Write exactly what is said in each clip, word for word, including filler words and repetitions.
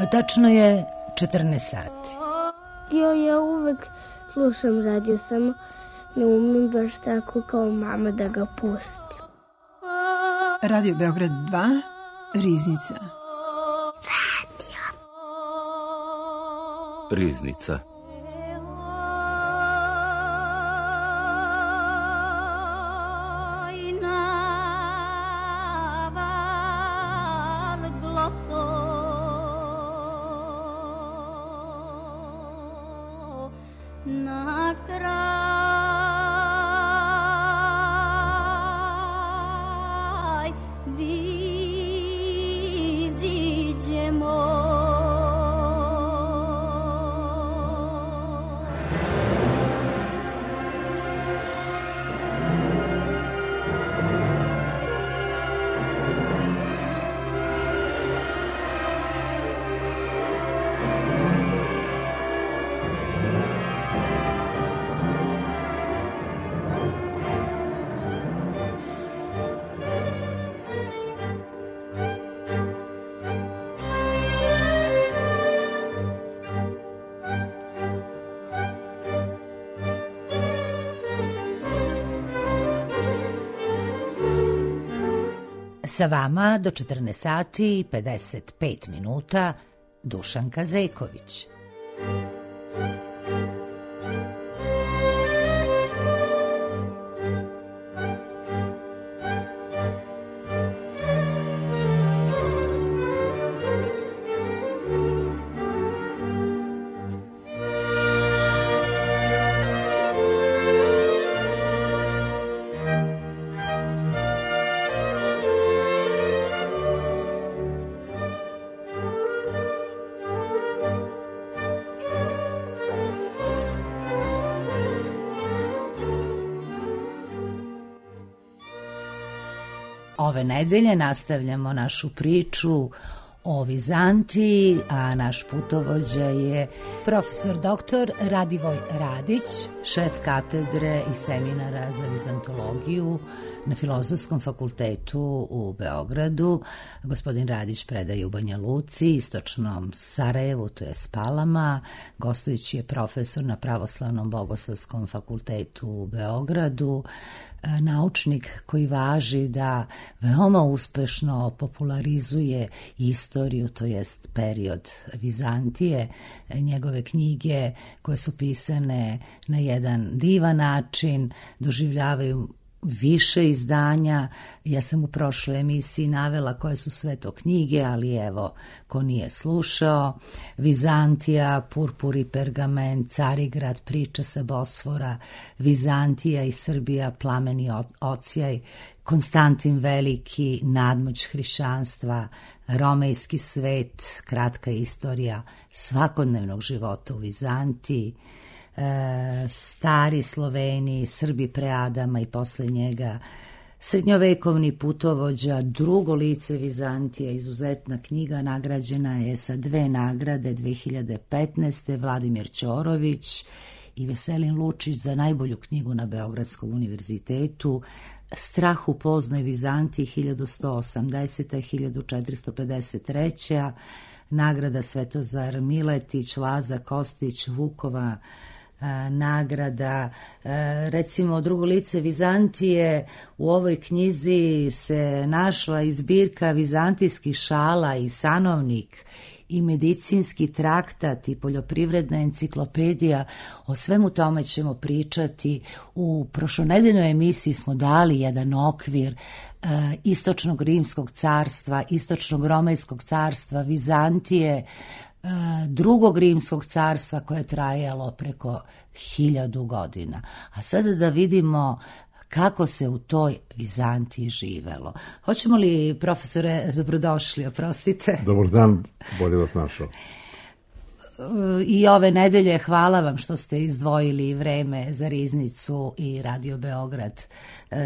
Tačno je četrnaest sati. Jo, ja uvek slušam radio, samo ne umem baš tako kao mama da ga pustim. Radio Beograd dva, Riznica. Radio. Riznica. Sa vama do četrnaest sati i pedeset pet minuta Dušanka Zejković. Ove nedelje nastavljamo našu priču o Vizantiji, a naš putovođa je profesor doktor Radivoj Radić, šef katedre i seminara za vizantologiju na Filozofskom fakultetu u Beogradu. Gospodin Radić predaje u Banja Luci, istočnom Sarajevu, to je Spalama. Gostujući je profesor na Pravoslavnom bogoslovskom fakultetu u Beogradu, naučnik koji važi da veoma uspešno popularizuje istoriju, to jest period Vizantije. Njegove knjige koje su pisane na jedan divan način doživljavaju više izdanja. Ja sam u prošloj emisiji navela koje su sve to knjige, ali evo, ko nije slušao: Vizantija, Purpur i pergament, Carigrad, priča sa Bosfora, Vizantija i Srbija, plameni ocijaj, Konstantin Veliki, nadmoć hrišćanstva, Romejski svet, kratka istorija svakodnevnog života u Vizantiji, E, stari Sloveni, Srbi pre Adama i posle njega, srednjovekovni putovođa, drugo lice Vizantija, izuzetna knjiga, nagrađena je sa dve nagrade dve hiljade petnaeste. Vladimir Ćorović i Veselin Lučić za najbolju knjigu na Beogradskom univerzitetu. Strah u poznoj Vizantiji hiljadu sto osamdeseta. hiljadu četiristo pedeset treća. Nagrada Svetozar Miletić, Laza Kostić, Vukova nagrada. Recimo, drugo lice Vizantije, u ovoj knjizi se našla i zbirka vizantijskih šala i sanovnik i medicinski traktat i poljoprivredna enciklopedija. O svemu tome ćemo pričati. U prošlonedeljnoj emisiji smo dali jedan okvir e, istočnog rimskog carstva, istočnog romejskog carstva, Vizantije, drugog rimskog carstva koje je trajalo preko hiljadu godina. A sada da vidimo kako se u toj Vizantiji živelo. Hoćemo li, profesore, dobrodošli, oprostite. Dobar dan, bolje vas našao. I ove nedelje hvala vam što ste izdvojili vreme za Riznicu i Radio Beograd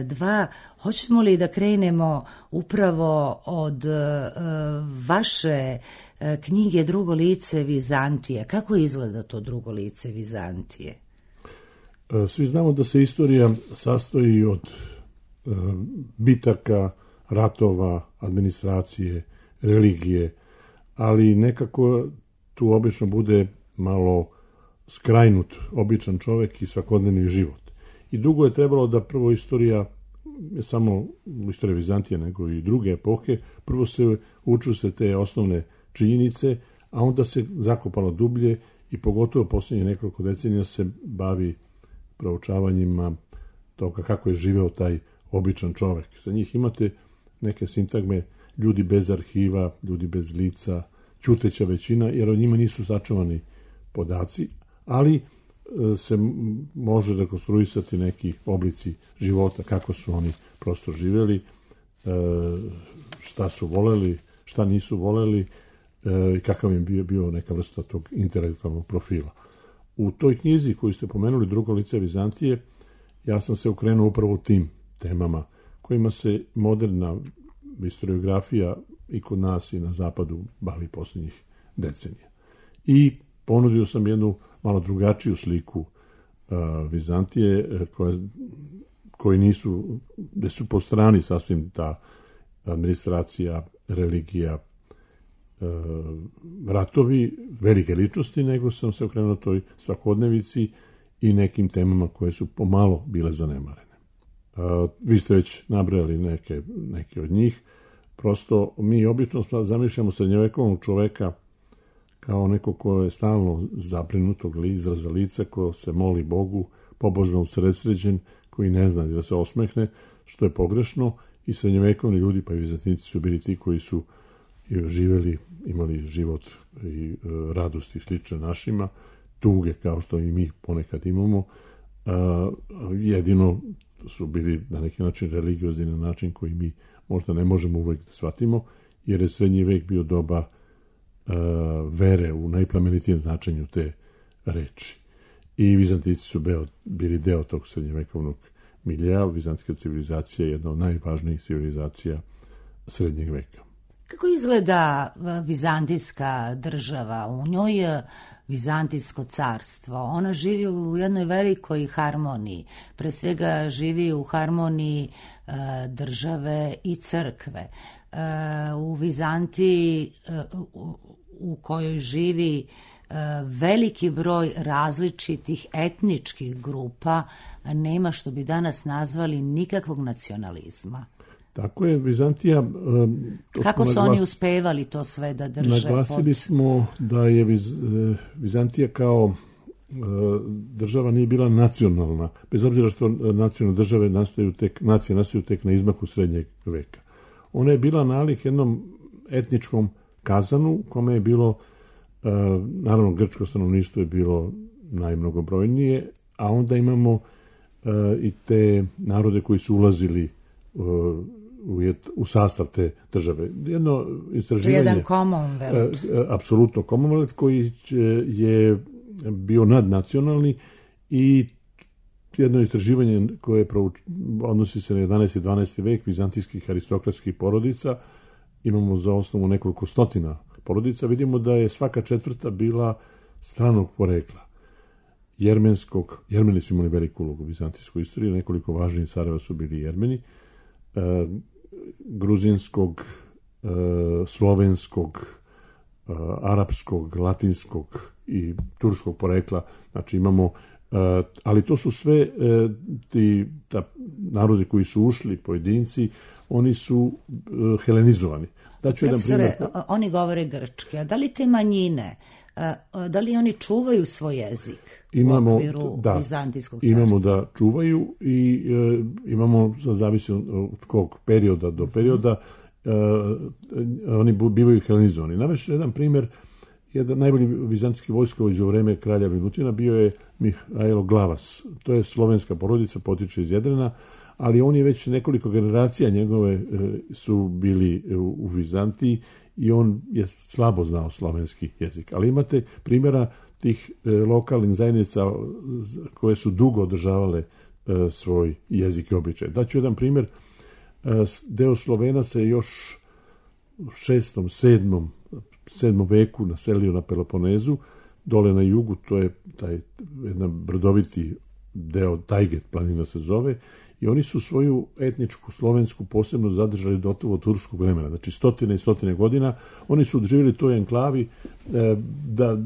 dva. Hoćemo li da krenemo upravo od vaše knjige Drugo lice Vizantije? Kako izgleda to drugo lice Vizantije? Svi znamo da se istorija sastoji od bitaka, ratova, administracije, religije, ali nekako tu obično bude malo skrajnut običan čovek i svakodnevni život. I dugo je trebalo da prvo istorija, ne samo istorija Vizantije, nego i druge epohe, prvo se uču se te osnovne činjenice, a onda se zakopalo dublje i pogotovo posljednje nekoliko decenija se bavi proučavanjima toga kako je živeo taj običan čovek. Za njih imate neke sintagme ljudi bez arhiva, ljudi bez lica, ćuteća većina, jer o njima nisu sačuvani podaci, ali se može rekonstruisati neki oblici života, kako su oni prosto živjeli, šta su voleli, šta nisu voleli i kakav im bio, bio neka vrsta tog intelektualnog profila. U toj knjizi koju ste pomenuli, Drugo lice Vizantije, ja sam se okrenuo upravo tim temama kojima se moderna historiografija i kod nas i na zapadu bavi posljednjih decenija. I ponudio sam jednu malo drugačiju sliku uh, Vizantije, koja, koji nisu, gde su po strani sasvim ta administracija, religija, uh, ratovi, velike ličnosti, nego sam se okrenuo toj svakodnevici i nekim temama koje su pomalo bile zanemarene. Uh, vi ste već nabrali neke, neke od njih. Prosto mi obično zamišljamo srednjovekovnog čoveka kao neko ko je stalno zaprinutog izraza lica, ko se moli Bogu, pobožno usredsređen, koji ne zna da se osmehne, što je pogrešno, i srednjovekovni ljudi, pa i Vizantinci su bili ti koji su živeli, imali život i radosti slične našima, tuge kao što i mi ponekad imamo, jedino su bili na neki način religiozni na način koji mi možda ne možemo uvek da shvatimo, jer je srednji vek bio doba uh, vere u najplemenitijem značenju te reči. I Vizantinci su beo, bili deo tog srednjevekovnog miljeja. Vizantijska civilizacija je jedna od najvažnijih civilizacija srednjeg veka. Kako izgleda vizantijska država? U njoj je Vizantijsko carstvo. Ona živi u jednoj velikoj harmoniji. Pre svega živi u harmoniji e, države i crkve. E, u Vizantiji e, u, u kojoj živi e, veliki broj različitih etničkih grupa, nema, što bi danas nazvali, nikakvog nacionalizma. Tako je, Vizantija... Kako su naglas... oni uspevali to sve da drže? Naglasili pod... smo da je Viz... Vizantija kao država nije bila nacionalna, bez obzira što nacionalne države nastaju tek, nacije nastaju tek na izmaku srednjeg veka. Ona je bila nalik jednom etničkom kazanu, u kome je bilo, naravno, grčko stanovništvo je bilo najmnogobrojnije, a onda imamo i te narode koji su ulazili U, u sastav te države. Jedno istraživanje... Jedan Commonwealth. Apsolutno Commonwealth, koji je bio nadnacionalni, i jedno istraživanje koje prouč, odnosi se na jedanaesti i dvanaesti vek vizantijskih aristokratskih porodica. Imamo za osnovu nekoliko stotina porodica. Vidimo da je svaka četvrta bila stranog porekla. Jermenskog, Jermeni su imali veliku ulogu u vizantijskoj istoriji, nekoliko važnijih careva su bili Jermeni, Uh, gruzinskog, uh, slovenskog, uh, arapskog, latinskog i turskog porekla. Znači imamo, uh, ali to su sve uh, ti ta, narodi koji su ušli, pojedinci, oni su uh, helenizovani. Daću jedan primjer. Oni govore grčki, a da li te manjine, uh, da li oni čuvaju svoj jezik? Imamo, u okviru da, Vizantijskog carstva? Imamo da čuvaju i e, imamo, zavisi od kog perioda do perioda, e, oni bivaju helenizovani. Navešću jedan primjer, jedan najbolji vizantijski vojskovođa u vreme kralja Minutina bio je Mihajlo Glavas. To je slovenska porodica, potiče iz Jedrena, ali on je već nekoliko generacija njegove e, su bili u, u Vizantiji i on je slabo znao slovenski jezik. Ali imate primjera tih e, lokalnih zajednica koje su dugo održavale e, svoj jezik i običaj. Daću jedan primjer. E, deo Slovena se još u šestom, sedmom, sedmom veku naselio na Peloponezu, dole na jugu, to je taj jedan brdoviti deo, Tajget planina se zove, i oni su svoju etničku slovensku posebno zadržali do od turskog vremena, znači stotine i stotine godina. Oni su živjeli u toj enklavi, da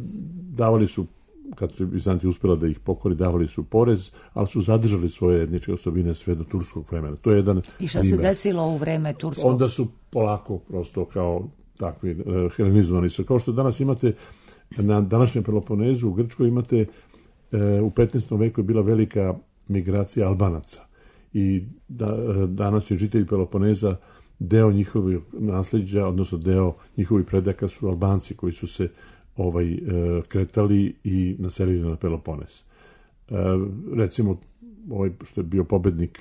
davali su, kad su Bizantija uspjela da ih pokori, davali su porez, ali su zadržali svoje etničke osobine sve do turskog vremena. To je jedan I šta primjer. se desilo u vreme turskog? Onda su polako prosto kao takvi uh, helenizovani su. Kao što danas imate na današnjem Peloponezu u Grčkoj imate uh, u petnaestom veku je bila velika migracija Albanaca i da, uh, danas je žitelji Peloponeza deo njihovih nasljeđa, odnosno deo njihovih predaka su Albanci koji su se ovaj, uh, kretali i naselili na Peloponez. Uh, recimo, ovaj što je bio pobednik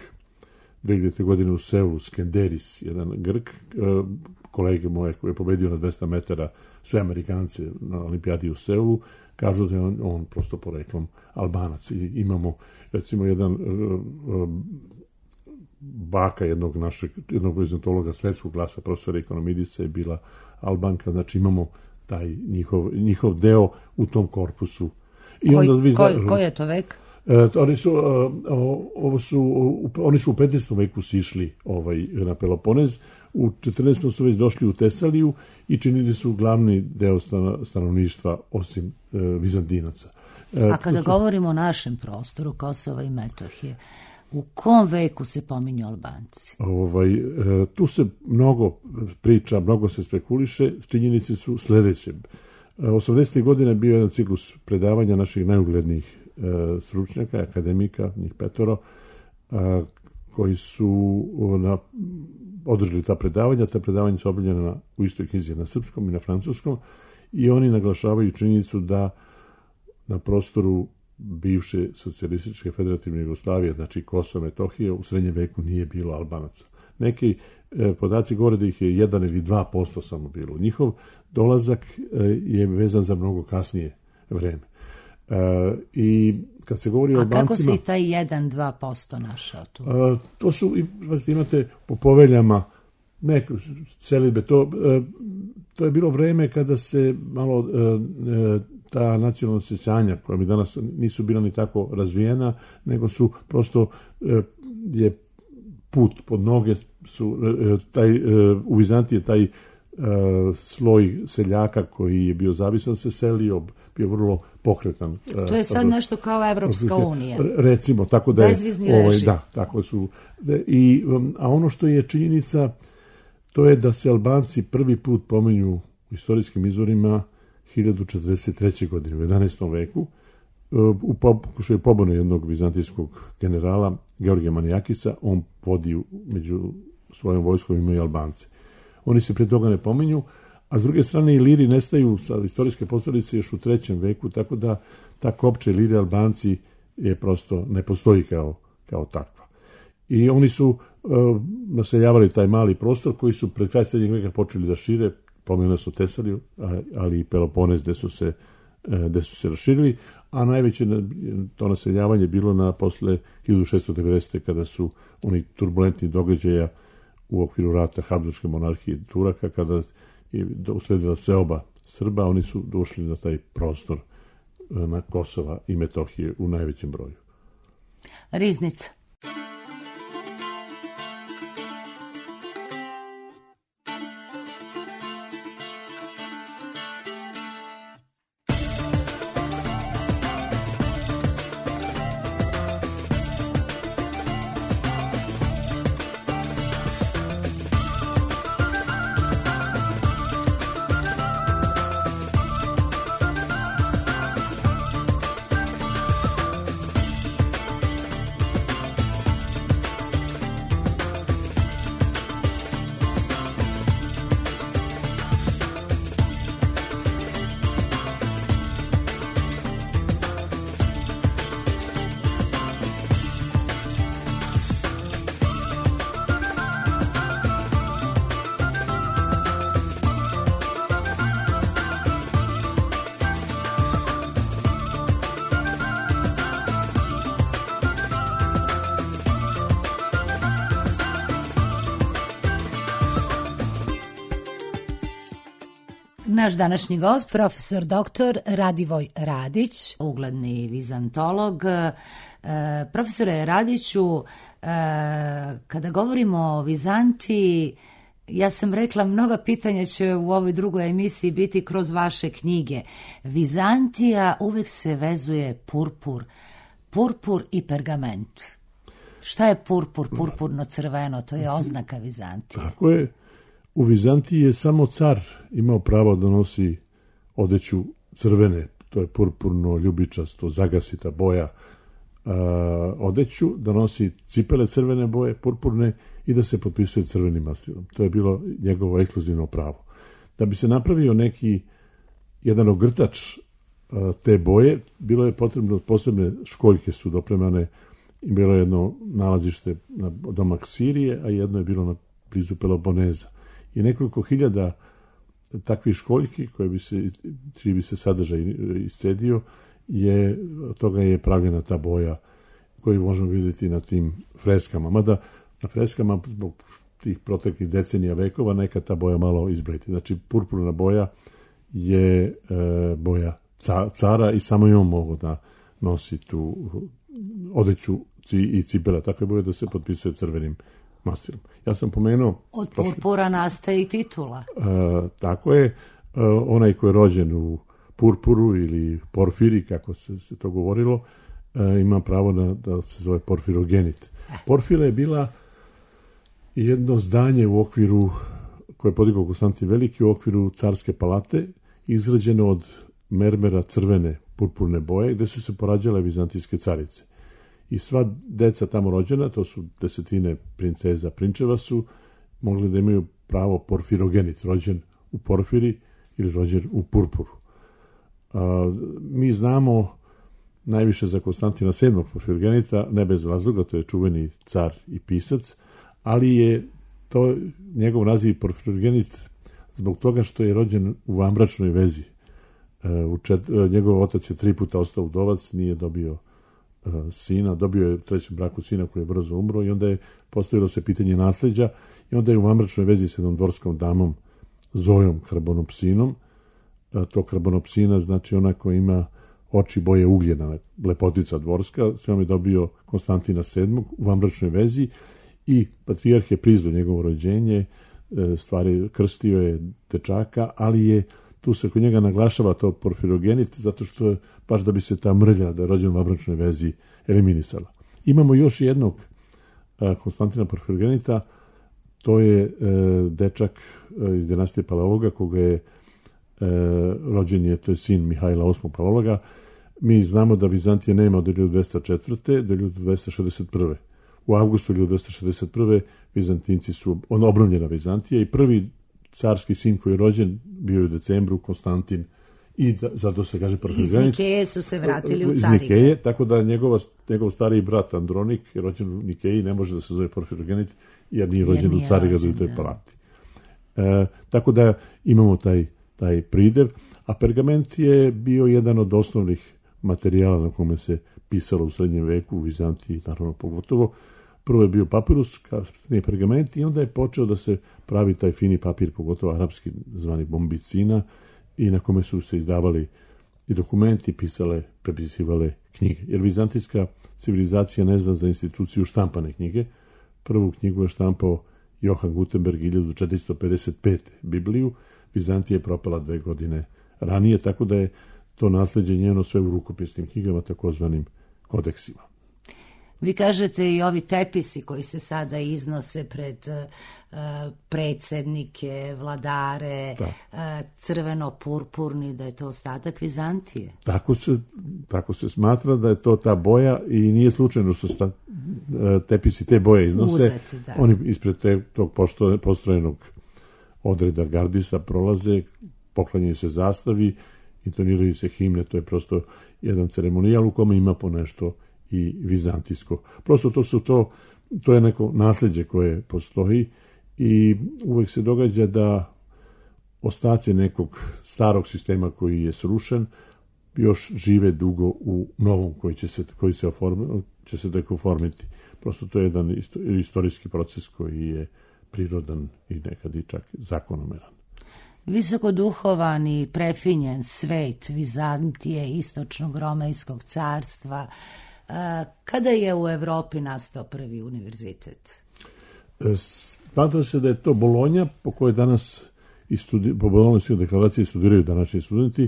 dve hiljadite. godine u Seulu, Skenderis, jedan Grk, uh, kolege moje koji je pobedio na dvesta metara sve Amerikance na olimpijadi u Seulu, kažu da je on, on prosto poreklom Albanac. I imamo, recimo, jedan uh, uh, baka jednog našeg, jednog vizantologa svetskog glasa, profesora Ekonomidisa je bila Albanka, znači imamo taj njihov, njihov deo u tom korpusu. I Koji, onda vi koji, zna, koji je to vek? E, oni su, ovo su, oni su u petnaestom veku sišli ovaj, na Peloponez, u četrnaestom su već došli u Tesaliju i činili su glavni deo stanovništva osim e, Vizantinaca. E, A kada su, govorimo o našem prostoru, Kosova i Metohije, u kom veku se pominju Albanci? Ovaj, e, tu se mnogo priča, mnogo se spekuliše, činjenice su sledeće. osamdesetih godina bio jedan ciklus predavanja naših najuglednijih stručnjaka, akademika, njih petoro, a, koji su na, održali ta predavanja. Ta predavanja su objavljena u istoj knjizi na srpskom i na francuskom i oni naglašavaju činjenicu da na prostoru bivše socijalističke federativne Jugoslavije, znači Kosova i Metohije, u srednjem veku nije bilo Albanaca. Neki e, podaci govore da ih je jedan ili dva posto samo bilo. Njihov dolazak e, je vezan za mnogo kasnije vreme. Uh, i kad se govori A o Albancima... kako si taj jedan do dva posto našao tu? Uh, to su, vas imate po poveljama neke celibe, to, uh, to je bilo vreme kada se malo uh, uh, ta nacionalna osjećanja, koja mi danas nisu bila ni tako razvijena, nego su prosto uh, je put pod noge su uh, taj, uh, u Vizantiji taj uh, sloj seljaka koji je bio zavisan se selio, bio vrlo pokretan. To je sad nešto kao Evropska unija. Recimo, tako da je... Bezvizni ovaj, režim. Da, tako su. I, a ono što je činjenica, to je da se Albanci prvi put pominju u istorijskim izvorima hiljadu četrdeset treće. godine, u jedanaestom veku, u pokušaju pobune jednog vizantijskog generala, Georgija Manijakisa, on vodi među svojom vojskom imaju Albance. Oni se pre toga ne pominju, a s druge strane i Iliri nestaju sa istorijske posljedice još u trećem veku, tako da ta kopča Iliri Albanci je prosto ne postoji kao, kao takva. I oni su uh, naseljavali taj mali prostor koji su pred kraj srednjeg veka počeli da šire, pomenuli su Tesaliju, ali i Peloponez gde su se, uh, gde su se raširili, a najveće to naseljavanje bilo na posle hiljadu šeststo devedesete. kada su oni turbulentni događaja u okviru rata Habsburške monarhije Turaka, kada i usledila seoba Srba, oni su došli na taj prostor na Kosova i Metohije u najvećem broju. Riznica. Naš današnji gost, profesor doktor Radivoj Radić, ugledni vizantolog. Profesore Radiću, kada govorimo o Vizantiji, ja sam rekla, mnoga pitanja će u ovoj drugoj emisiji biti kroz vaše knjige. Vizantija uvek se vezuje purpur, purpur i pergament. Šta je purpur, purpurno crveno? To je oznaka Vizantije. Tako je. U Vizantiji je samo car imao pravo da nosi odeću crvene, to je purpurno, ljubičasto, zagasita boja a, odeću, da nosi cipele crvene boje, purpurne, i da se potpisuje crvenim mastilom. To je bilo njegovo ekskluzivno pravo. Da bi se napravio neki jedan ogrtač a, te boje, bilo je potrebno, posebne školjke su dopremane, i bilo je jedno nalazište na domak Sirije, a jedno je bilo na blizu Peloponeza. I nekoliko hiljada takvih školjki, koje bi se, čiji bi se sadržaj iscedio, je, od toga je pravljena ta boja koju možemo vidjeti na tim freskama. Mada na freskama, zbog tih proteklih decenija, vekova, neka ta boja malo izbledi. Znači, purpurna boja je e, boja ca, cara i samo i on mogu da nosi tu odeću i cipela takve boje da se potpisuje crvenim mastilom. Ja sam pomenuo... Od purpura nastaje i titula. E, tako je. E, onaj ko je rođen u purpuru ili porfiri, kako se, se to govorilo, e, ima pravo na, da se zove porfirogenit. Porfira je bila jedno zdanje u okviru, koje je podigao Konstantin Veliki, u okviru carske palate, izrađeno od mermera crvene purpurne boje, gde su se porađale vizantijske carice. I sva deca tamo rođena, to su desetine princeza, prinčeva, su mogli da imaju pravo porfirogenit, rođen u porfiri ili rođen u purpuru. A, mi znamo najviše za Konstantina sedmog porfirogenita, ne bez razloga, to je čuveni car i pisac, ali je to njegov naziv porfirogenit zbog toga što je rođen u vanbračnoj vezi. E, u čet, njegov otac je tri puta ostao udovac, nije dobio e, sina, dobio je u trećem braku sina koji je brzo umro i onda je postavilo se pitanje nasleđa i onda je u vanbračnoj vezi s jednom dvorskom damom Zojom Karbonopsinom. E, to Karbonopsina znači ona koja ima oči boje ugljena, lepotica dvorska, s njom je dobio Konstantina sedmog u vanbračnoj vezi i patrijarh je priznao njegovo rođenje, stvari krstio je dečaka, ali je tu se kod njega naglašava to porfirogenit, zato što je baš da bi se ta mrlja, da je rođen u vanbračnoj vezi, eliminisala. Imamo još jednog Konstantina porfirogenita, to je dečak iz dinastije Paleologa, koga je rođen je, to je sin Mihajla osmog Paleologa. Mi znamo da Vizantija nema od hiljadu dvesta četvrte do hiljadu dvesta šezdeset prve. U avgustu hiljadu dvesta šezdeset prve Vizantinci su, on obnovljena Vizantija i prvi carski sin koji je rođen bio je u decembru, Konstantin, i da, zato se kaže porfirogenit. Iz Nikeje su se vratili u Carigrad. Iz Nikeje, tako da njegova, njegov stariji brat Andronik je rođen u Nikeji, ne može da se zove porfirogenit jer nije rođen jer nije u Carigradu i toj palati. E, tako da imamo taj, taj pridev, a pergament je bio jedan od osnovnih materijala na kome se pisalo u srednjem veku, u Vizantiji, naravno pogotovo. Prvo je bio papirus, kasnije pergament, i onda je počeo da se pravi taj fini papir, pogotovo arapski zvani bombicina, i na kome su se izdavali i dokumenti, pisale, prepisivale knjige. Jer vizantijska civilizacija ne zna za instituciju štampane knjige. Prvu knjigu je štampao Johan Gutenberg hiljadu četiristo pedeset pete. Bibliju. Vizantija je propala dve godine ranije, tako da je to nasleđe njeno sve u rukopisnim knjigama, takozvanim kodeksima. Vi kažete i ovi tepisi koji se sada iznose pred uh, predsjednike, vladare, uh, crveno-purpurni, da je to ostatak Vizantije. Tako se, tako se smatra da je to ta boja i nije slučajno što sta, uh, tepisi te boje iznose. Uzeti, da. Oni ispred te, tog postrojenog odreda gardista prolaze, poklanjaju se zastavi, intoniraju se himne, to je prosto jedan ceremonijal u kome ima po nešto i vizantijsko. Prosto to su to, to je neko nasljeđe koje postoji i uvek se događa da ostaci nekog starog sistema koji je srušen još žive dugo u novom koji će se, koji se, oform, će se tek oformiti. Prosto to je jedan istorijski proces koji je prirodan i nekad i čak zakonomeran. Visokoduhovan i prefinjen svet Vizantije, istočnog Romejskog carstva, Kada je u Evropi nastao prvi univerzitet? Smatra se da je to Bolonja, po kojoj danas i studi, po Bolonjskoj deklaraciji studiraju današnji studenti.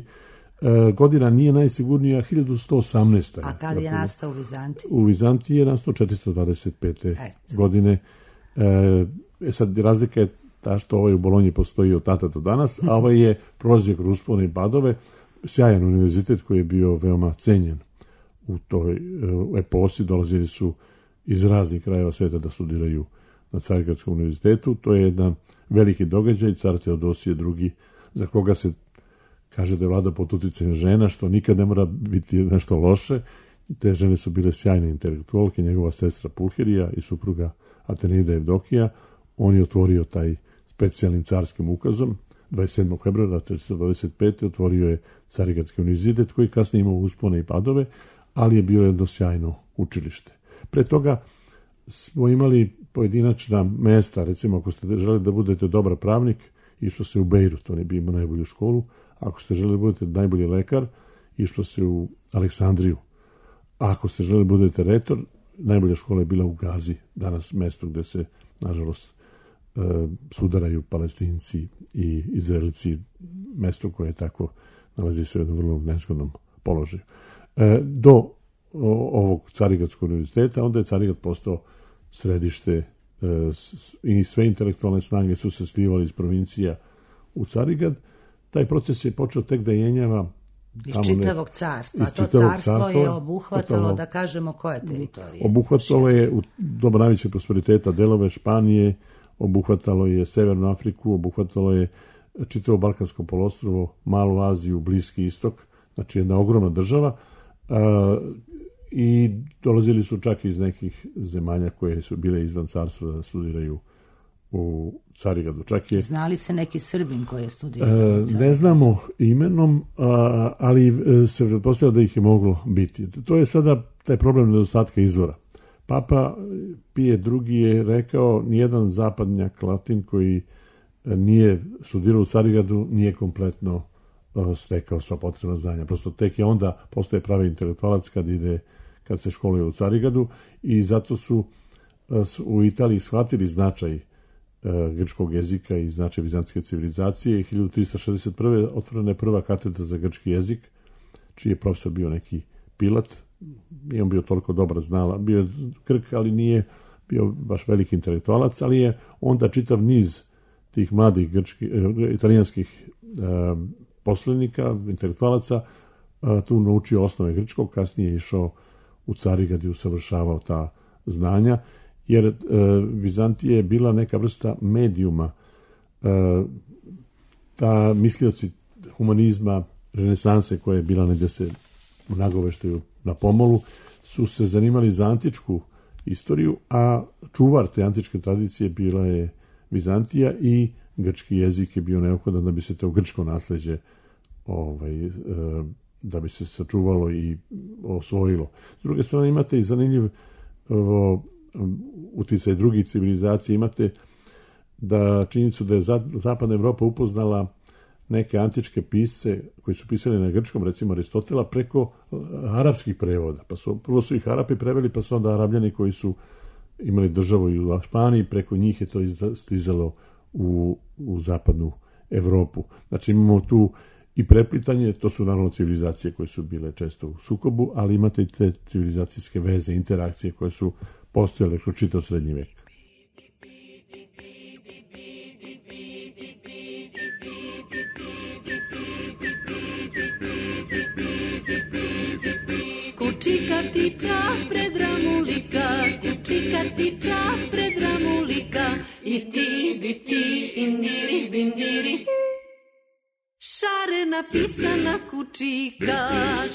E, godina nije najsigurnija, hiljadu sto osamnaesta. A kad je nastao u Vizantiji? U Vizantiji je nastao četiristo dvadeset pete. Eto. godine. E, sad, razlika je ta što ovaj u Bolonji postoji od tada do danas, a ovaj je prolazio kroz uspone i padove. Sjajan univerzitet koji je bio veoma cenjen u toj u eposi. Dolazili su iz raznih krajeva sveta da studiraju na Carigradskom univerzitetu. To je jedan veliki događaj, car Teodosije drugi, za koga se kaže da je vlada pod uticajem žena, što nikad ne mora biti nešto loše. Te žene su bile sjajne intelektualke, njegova sestra Pulhirija i supruga Atenida Evdokija. On je otvorio taj specijalnim carskim ukazom, dvadeset sedmog februara četiristo dvadeset pete otvorio je Carigradski univerzitet, koji kasnije imao uspone i padove, ali je bio jedno sjajno učilište. Pre toga smo imali pojedinačna mesta, recimo ako ste želeli da budete dobar pravnik, išlo se u Bejrut, on je bio imao najbolju školu. Ako ste želeli da budete najbolji lekar, išlo se u Aleksandriju. A ako ste želeli da budete retor, najbolja škola je bila u Gazi, danas mesto gde se, nažalost, sudaraju Palestinci i Izraelci, mesto koje je tako nalazi se u jednom vrlo nezgodnom položaju. Do ovog Carigradskog univerziteta, onda je Carigrad postao središte i sve intelektualne snage su se slivali iz provincija u Carigrad. Taj proces je počeo tek da jenjava iz čitavog carstva. To carstvo je obuhvatalo, da kažemo, koje teritorije? Obuhvatalo je u doba najvećeg prosperiteta delove Španije, obuhvatalo je Severnu Afriku, obuhvatalo je čitavo Balkansko poluostrvo, Malu Aziju, Bliski istok, znači jedna ogromna država, a, i dolazili su čak iz nekih zemalja koje su bile izvan carstva da studiraju u Carigradu. Čak je, znali se neki Srbin koji je studirao? Ne znamo imenom, a, ali se pretpostavlja da ih je moglo biti. To je sada taj problem nedostatka izvora. Papa Pije drugi je rekao, nijedan zapadnjak Latin koji nije studirao u Carigradu nije kompletno stekao sva potrebna znanja. Prosto tek je onda postaje pravi intelektualac kad ide, kad se školuje u Carigradu, i zato su u Italiji shvatili značaj grčkog jezika i značaj vizantijske civilizacije. hiljadu trista šezdeset prve otvorena je prva katedra za grčki jezik, čiji je profesor bio neki Pilat. Nije on bio toliko dobar znala, bio je Grk, ali nije bio baš veliki intelektualac, ali je onda čitav niz tih mladih grčkih, italijanskih poslenika, intelektualaca, tu naučio osnove grčkog, kasnije je išao u Carigrad i usavršavao ta znanja, jer Vizantija je bila neka vrsta medijuma. Ta mislioci humanizma, renesanse koja je bila negdje se u nagoveštaju na pomolu, su se zanimali za antičku istoriju, a čuvar te antičke tradicije bila je Vizantija i grčki jezik je bio neophodan da bi se to grčko nasleđe ovaj, da bi se sačuvalo i osvojilo. S druge strane imate i zanimljiv uticaj drugih civilizacija. Imate da činjenicu da je Zapadna Evropa upoznala neke antičke pisce koji su pisali na grčkom, recimo Aristotela, preko arapskih prevoda. Pa su, prvo su ih Arapi preveli, pa su onda Arabljani koji su imali državu i u Španiji, preko njih je to stizalo u, u Zapadnu Evropu. Znači imamo tu i preplitanje, to su naravno civilizacije koje su bile često u sukobu, ali imate i te civilizacijske veze, interakcije koje su postojale kroz čitav srednji vek. Kučika ti čah pred ramulika, kučika ti čah pred ramulika, i ti bi ti indiri bindiri. Šarena pisana kučika,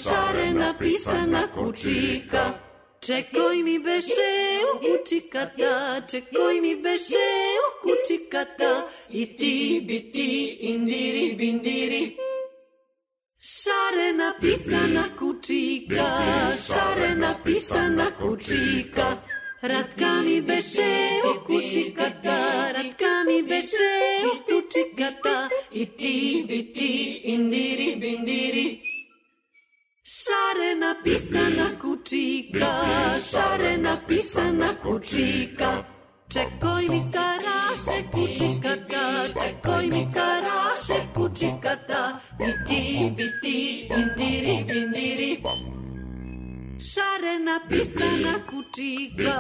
šarena pisana kučika, čekoj mi beše u kučikata, čekoj mi beše u kučikata, i ti bi ti indiri bindiri. Šarena pisana kučika, šarena pisana kučika, ratka mi beše u kučikata, ratka mi beše u kučikata, i ti bi ti indiri bindiri. Šarena pisana kućika, šarena pisana kućika. Čekoj mi karaše kućikata, čekoj mi karaše kućikata. Biti, biti, indiri, bindiri. Šarena pisana kućika,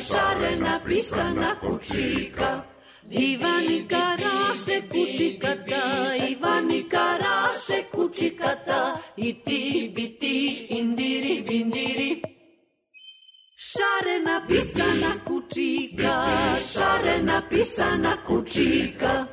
šarena pisana kućika. Ivani karaše kućikata, Ivani karaše kućikata. I ti biti indiri bindiri. Šarena pisana kućika, šarena pisana kućika.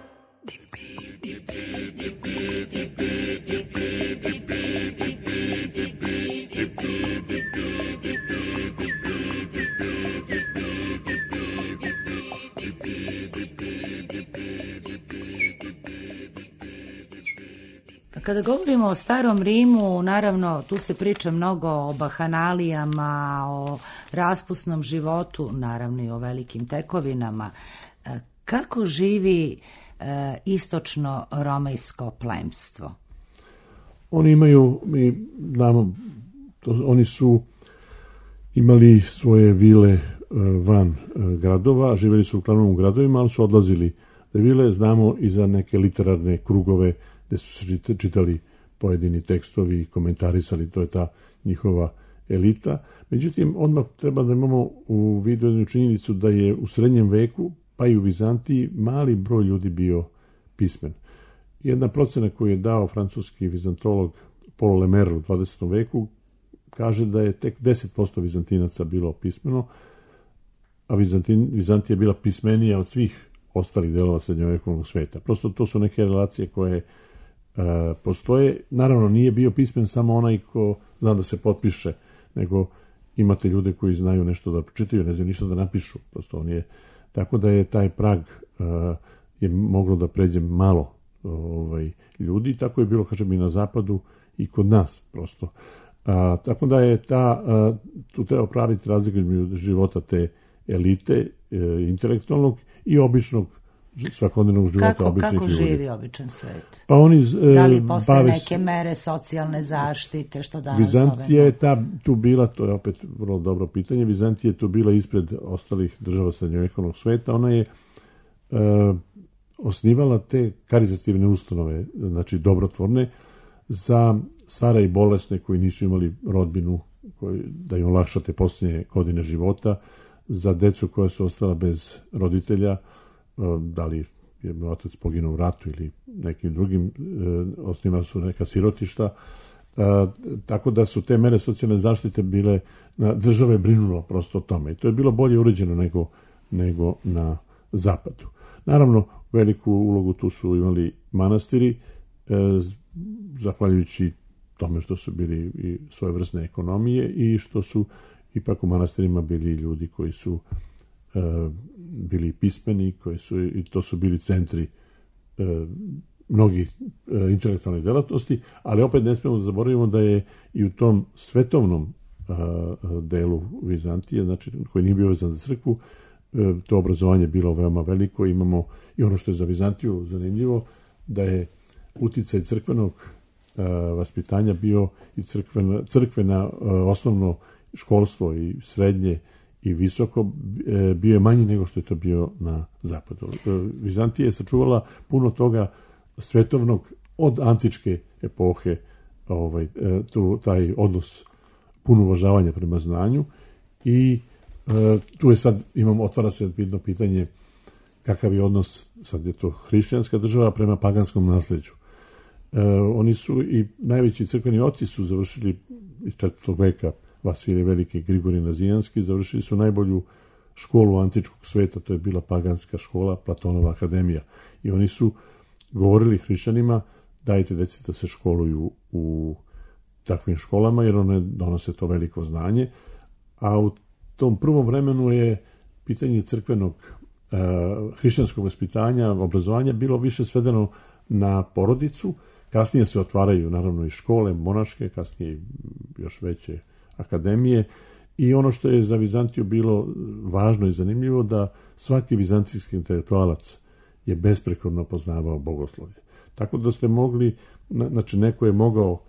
Kada govorimo o starom Rimu, naravno tu se priča mnogo o bahanalijama, o raspusnom životu, naravno i o velikim tekovinama. Kako živi e, istočno romejsko plemstvo? Oni imaju, mi znamo, to, oni su imali svoje vile van gradova, živjeli su uglavnom u gradovima, ali su odlazili da vile, znamo i za neke literarne krugove gde su se čitali pojedini tekstovi i komentarisali, to je ta njihova elita. Međutim, odmah treba da imamo u vidu jednu činjenicu da je u srednjem veku, pa i u Vizantiji, mali broj ljudi bio pismen. Jedna procena koju je dao francuski vizantolog Paul Lemaire u dvadesetom veku kaže da je tek deset posto Vizantinaca bilo pismeno, a Vizantin, Vizantija je bila pismenija od svih ostalih delova srednjovekovnog sveta. Prosto to su neke relacije koje uh, postoje. Naravno, nije bio pismen samo onaj ko zna da se potpiše, nego imate ljude koji znaju nešto da pročitaju, ne znaju ništa da napišu. Prosto on je, tako da je taj prag uh, je moglo da pređe malo ovaj, ljudi. Tako je bilo, kažem, i na zapadu i kod nas, prosto. A, tako da je ta, a, tu treba praviti razliku između života te elite, e, intelektualnog i običnog svakodnevnog života kako, običnih kako ljudi. Kako živi običan svet? Pa oni, e, da li postoje bave, neke mere socijalne zaštite, što danas Vizantija je ta, tu bila, to je opet vrlo dobro pitanje, Vizantija je tu bila ispred ostalih država srednjovekovnog sveta, ona je e, osnivala te karitativne ustanove, znači dobrotvorne, za stare i bolesne koji nisu imali rodbinu, koji, da im olakšate posljednje godine života, za decu koja su ostala bez roditelja, da li je otac poginuo u ratu ili nekim drugim, osnivali su neka sirotišta, tako da su te mere socijalne zaštite bile, država je brinula prosto o tome i to je bilo bolje uređeno nego, nego na zapadu. Naravno, veliku ulogu tu su imali manastiri, zahvaljujući tome što su bili i svojevrsne ekonomije i što su ipak u manastirima bili ljudi koji su e, bili pismeni, koji su, i to su bili centri e, mnogih e, intelektualnih delatnosti, ali opet ne smemo da zaboravimo da je i u tom svetovnom e, delu Vizantije, znači koji nije bio vezan za crkvu, e, to obrazovanje bilo veoma veliko. Imamo i ono što je za Vizantiju zanimljivo, da je uticaj crkvenog uh, vaspitanja bio i crkvena, crkvena uh, osnovno školstvo i srednje i visoko uh, bio je manji nego što je to bio na zapadu. Uh, Vizantija je sačuvala puno toga svetovnog od antičke epohe, ovaj, uh, tu, taj odnos puno uvažavanja prema znanju i uh, tu je sad, imamo, otvara se jedno pitanje kakav je odnos, sad je to hrišćanska država, prema paganskom nasleđu. E, oni su i najveći crkveni oci su završili iz četvrtog veka, Vasilije Veliki, Grigorij Nazijanski, završili su najbolju školu antičkog sveta, to je bila paganska škola, Platonova akademija. I oni su govorili hrišćanima, dajte deci da se školuju u takvim školama, jer one donose to veliko znanje. A u tom prvom vremenu je pitanje crkvenog uh, hrišćanskog vaspitanja, obrazovanja bilo više svedeno na porodicu. Kasnije se otvaraju naravno i škole monaške, kasnije još veće akademije i ono što je za Vizantiju bilo važno i zanimljivo da svaki vizantijski intelektualac je besprekorno poznavao bogoslovlje. Tako da ste mogli, znači neko je mogao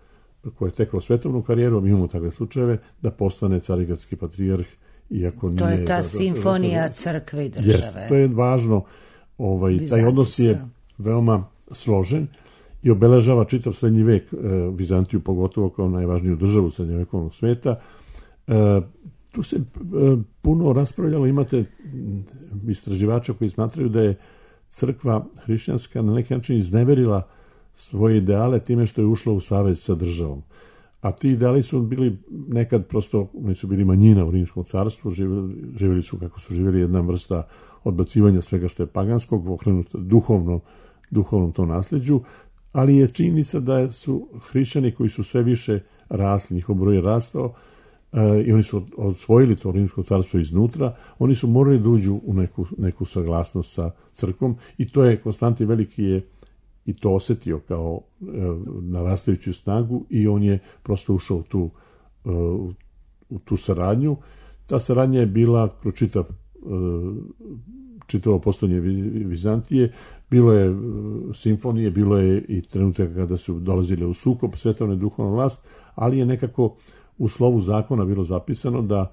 koji je tekao svetovnu karijeru, mi imamo takve slučajeve, da postane carigradski patrijarh, iako nije... To je ta da, simfonija da, da, crkve i države. Jest, to je važno. Ovaj, taj odnos je veoma složen i obeležava čitav srednji vek, e, Vizantiju pogotovo kao najvažniju državu srednjovekovnog sveta. E, tu se e, puno raspravljalo, imate istraživača koji smatraju da je crkva hrišćanska na neki način izneverila svoje ideale time što je ušla u savez sa državom. A ti ideali su bili nekad prosto, oni su bili manjina u Rimskom carstvu, živjeli, živjeli su kako su živjeli, jedna vrsta odbacivanja svega što je paganskog, okrenuto duhovno, duhovnom to nasljeđu, ali je činjenica da su hrišćani koji su sve više rasli, njihov broj je rastao, i oni su osvojili to Rimsko carstvo iznutra, oni su morali da uđu u neku, neku saglasnost sa crkvom i to je Konstantin Veliki je i to osjetio kao e, narastajuću snagu i on je prosto ušao u tu, e, u tu saradnju. Ta saradnja je bila kroz čitav, e, čitavo postojanje Vizantije, bilo je e, simfonije, bilo je i trenutak kada su dolazile u sukob svetovne duhovna vlast, ali je nekako u slovu zakona bilo zapisano da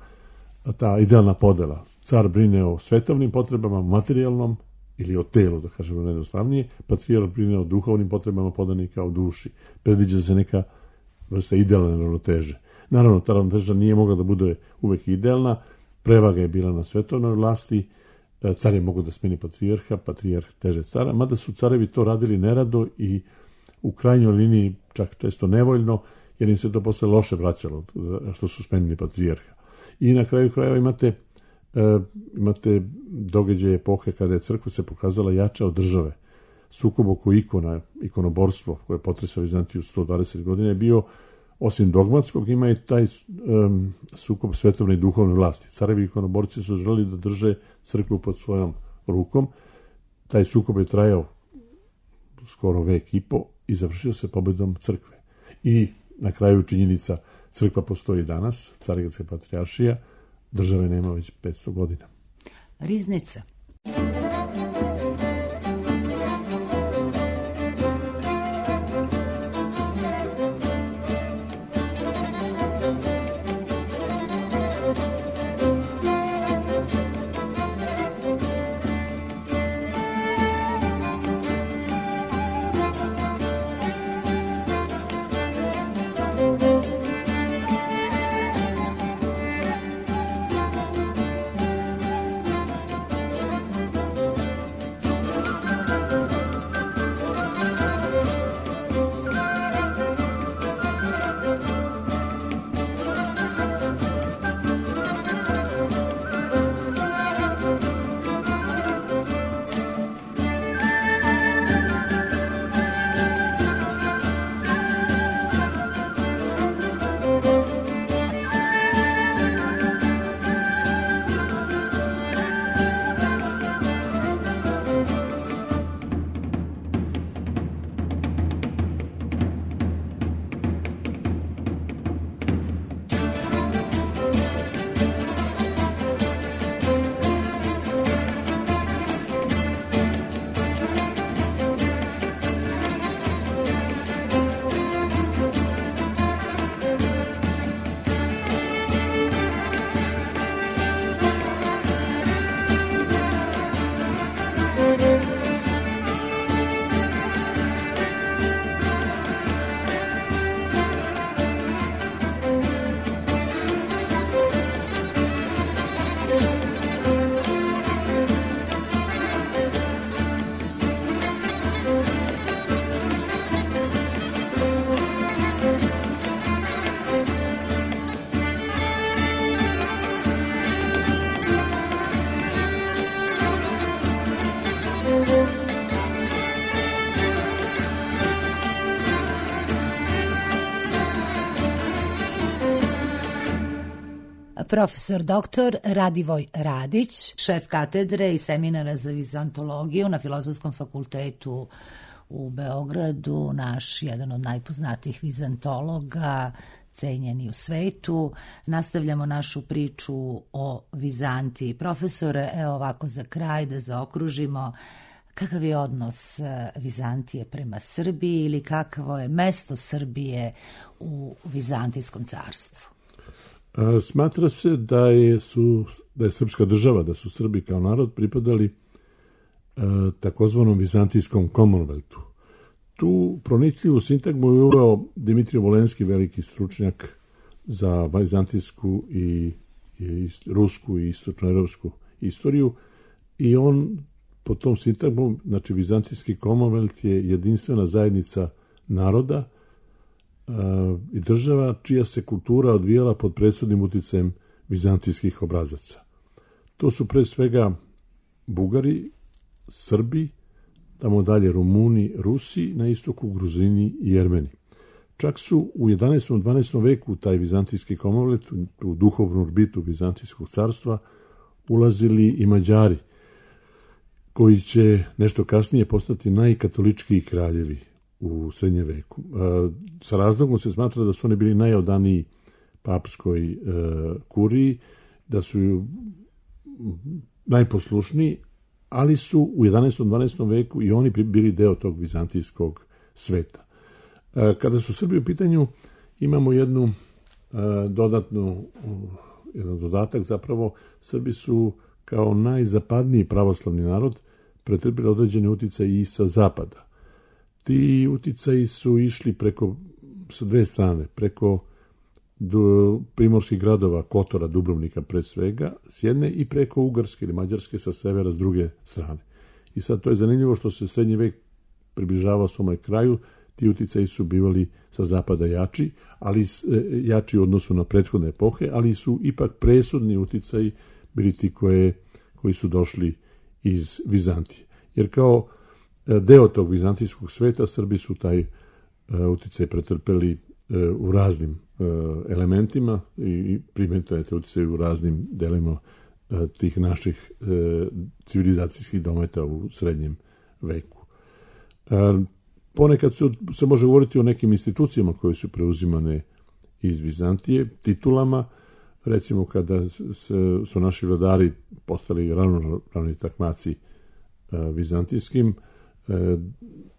ta idealna podela, car brine o svetovnim potrebama, materijalnom ili o telu, da kažemo najjednostavnije, patrijarh brine o duhovnim potrebama podanika, o duši. Predviđa se neka vrsta idealne ravnoteže. Naravno, ta ravnoteža nije mogla da bude uvek idealna, prevaga je bila na svetovnoj vlasti, car je mogao da smeni patrijarha, patrijarh teže cara, mada su carevi to radili nerado i u krajnjoj liniji čak često nevoljno, jer im se to posle loše vraćalo, što su smenili patrijarha. I na kraju krajeva imate, e, imate događaje epohe kada je crkva se pokazala jača od države. Sukob oko ikona, ikonoborstvo koje je potresao Vizantiju sto dvadeset godina je bio, osim dogmatskog, ima i taj um, sukob svetovne i duhovne vlasti. Carevi ikonoborci su želeli da drže crkvu pod svojom rukom. Taj sukob je trajao skoro vek i po i završio se pobedom crkve. I na kraju činjenica, crkva postoji danas, Carigradska patrijaršija, države nema već petsto godina. Riznica. Profesor doktor Radivoj Radić, šef katedre i seminara za vizantologiju na Filozofskom fakultetu u Beogradu, naš jedan od najpoznatijih vizantologa, cenjeni u svetu. Nastavljamo našu priču o Vizantiji. Profesore, evo ovako za kraj da zaokružimo, Kakav je odnos Vizantije prema Srbiji ili kakvo je mesto Srbije u Vizantijskom carstvu? Smatra se da je, su, da je srpska država, da su Srbi kao narod pripadali takozvanom Vizantijskom Commonwealthu. Tu pronicljivu sintagmu je uveo Dimitrije Volenski, veliki stručnjak za vizantijsku i, i rusku i istočnoevropsku istoriju, i on po tom sintagmu, znači Vizantijski Commonwealth je jedinstvena zajednica naroda uh, i država čija se kultura odvijala pod presudnim uticajem vizantijskih obrazaca. To su pre svega Bugari, Srbi, tamo dalje Rumuni, Rusi, na istoku Gruzini i Jermeni. Čak su u jedanaestom i dvanaestom veku taj Vizantijski Commonwealth, u duhovnu orbitu Vizantijskog carstva, ulazili i Mađari, koji će nešto kasnije postati najkatoličkiji kraljevi u srednjem veku. Sa razlogom se smatra da su oni bili najodaniji papskoj kuriji, da su najposlušniji, ali su u jedanaestom i dvanaestom veku i oni bili deo tog vizantijskog sveta. Kada su Srbi u pitanju, imamo jednu dodatnu, jedan dodatak, zapravo Srbi su kao najzapadniji pravoslavni narod pretrpili određene uticaje i sa zapada. Ti uticaji su išli preko, sa dve strane, preko do primorskih gradova, Kotora, Dubrovnika pre svega, s jedne, i preko Ugarske ili Mađarske sa severa s druge strane. I sad to je zanimljivo što se srednji vek približavao svome kraju, ti uticaji su bivali sa zapada jači, ali jači u odnosu na prethodne epohe, ali su ipak presudni uticaji bili ti koje, koji su došli iz Vizantije. Jer kao deo tog vizantijskog sveta Srbi su taj uticaj pretrpeli u raznim elementima i primetaju te uticaje u raznim delima tih naših civilizacijskih dometa u srednjem veku. Ponekad su, se može govoriti o nekim institucijama koje su preuzimane iz Vizantije, titulama, recimo kada se, su naši vladari postali ravnopravni takmaci vizantijskim,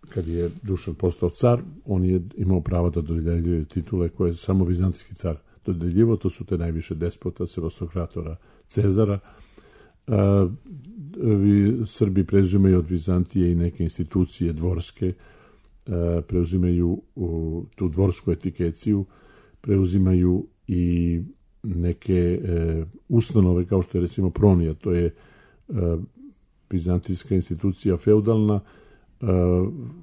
kad je Dušan postao car, on je imao pravo da dodeljuje titule koje je samo vizantijski car dodeljivao, to su te najviše despota, Sevastokratora, Cezara. Srbi preuzimaju od Vizantije i neke institucije dvorske, preuzimaju tu dvorsku etikeciju, preuzimaju i neke ustanove, kao što je recimo Pronija, to je vizantijska institucija feudalna,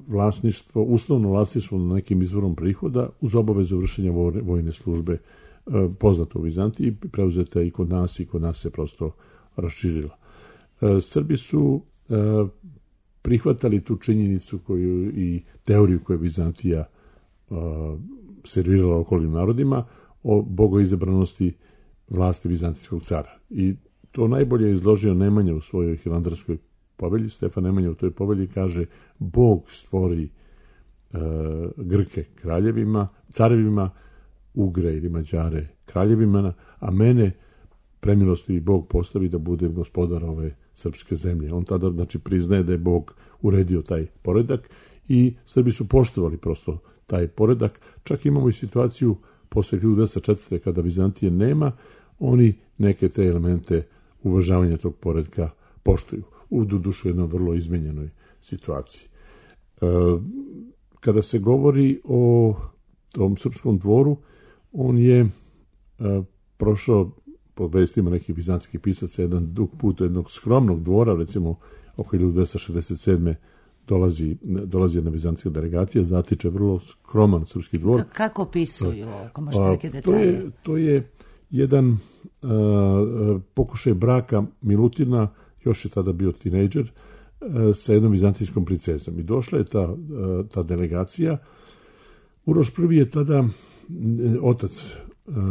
vlasništvo, uslovno vlasništvo na nekim izvorom prihoda uz obavezu vršenja vojne službe, poznato u Vizantiji, preuzeta i kod nas i kod nas se prosto raširila. Srbi su prihvatali tu činjenicu koju i teoriju koju je Vizantija servirala okolnim narodima o bogoizabranosti vlasti vizantijskog cara. I to najbolje je izložio Nemanja u svojoj hilandarskoj povelji. Stefan Nemanja u toj povelji kaže: Bog stvori uh, Grke kraljevima, carevima, Ugre ili Mađare kraljevima, a mene premilostivi Bog postavi da budem gospodar ove srpske zemlje. On tada, znači, priznaje da je Bog uredio taj poredak i Srbi su poštovali prosto taj poredak. Čak imamo i situaciju posle hiljadu dvesta četvrte kada Vizantije nema, oni neke te elemente uvažavanja tog poredka poštuju. U dušu jednoj vrlo izmenjenoj situaciji. E, kada se govori o tom srpskom dvoru, on je e, prošao, po vestima nekih vizantijskih pisaca, jedan dug put jednog skromnog dvora, recimo oko hiljadu dvesta šezdeset sedme dolazi, dolazi jedna vizantijska delegacija, zatiče vrlo skroman srpski dvor. Kako opisuju? Ako možete neke detalje? To je, to je jedan a, pokušaj braka Milutina, još je tada bio tinejdžer, sa jednom vizantijskom princezom. I došla je ta, ta delegacija. Uroš prvi je tada, otac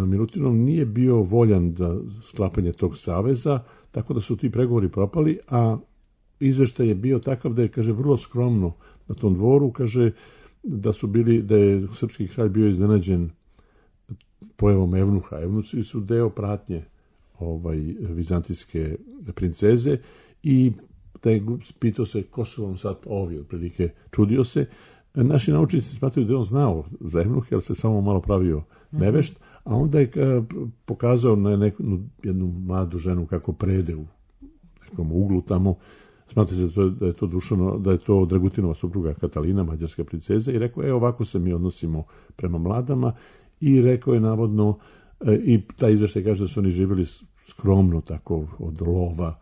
Milutinov, nije bio voljan da sklapanje tog saveza, tako da su ti pregovori propali, a izveštaj je bio takav da je, kaže, vrlo skromno na tom dvoru, kaže da su bili, da je srpski kralj bio iznenađen pojavom evnuha. Evnuci su deo pratnje ovaj, vizantijske princeze i taj pitao se ko su vam sad ovi, otprilike čudio se. Naši naučnici smatraju da je on znao za Evnuhe, jer se samo malo pravio nevešt, a onda je pokazao na neku, jednu mladu ženu kako prede u nekom uglu tamo. Smatraju se da je to Dušano, da je to Dragutinova supruga Katalina, mađarska princeza, i rekao, e, ovako se mi odnosimo prema mladama, i rekao je navodno, i taj izveštaj kaže da su oni živjeli skromno tako od lova,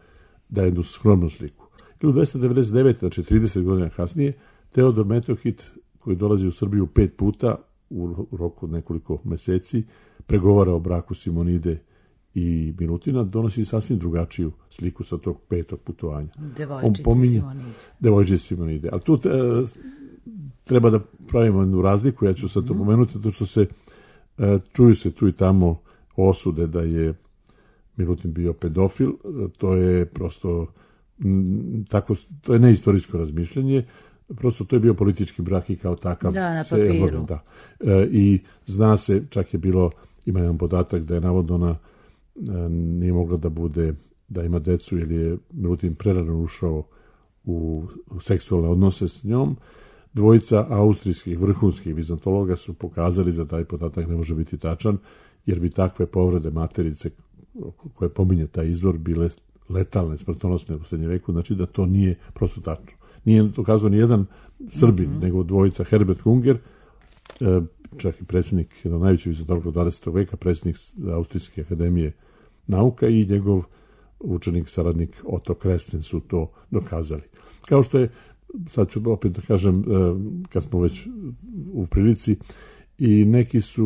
da je jednu skromnu sliku. hiljadu dvesta devedeset devete. znači trideset godina kasnije, Teodor Metohit, koji dolazi u Srbiju pet puta u roku od nekoliko meseci, pregovara o braku Simonide i Milutina, donosi sasvim drugačiju sliku sa tog petog putovanja. Devojčice pominje, Simonide. Devojčice Simonide. Ali tu e, treba da pravimo jednu razliku, ja ću sad to pomenuti, zato što se e, čuju se tu i tamo osude da je Milutin bio pedofil, to je prosto m, tako, to je neistorijsko razmišljanje, prosto to je bio politički brak i kao takav. Da, na papiru. Da. E, I zna se, čak je bilo, ima jedan podatak da je navodno ona e, nije mogla da bude, da ima decu, jer je Milutin prerano ušao u, u seksualne odnose s njom. Dvojica austrijskih vrhunskih vizantologa su pokazali da taj podatak ne može biti tačan, jer bi takve povrede materice koje pominje taj izvor bile letalne, smrtonosne u srednjem veku, znači da to nije prosto tačno. Nije dokazao ni jedan Srbin, mm-hmm. nego dvojica Herbert Hunger, čak i predsjednik jednog najvećeg vizantologa dvadesetog veka, predsjednik Austrijske akademije nauka, i njegov učenik, saradnik Otto Kresten su to dokazali. Kao što je, sad ću opet da kažem, kad smo već u prilici, i neki su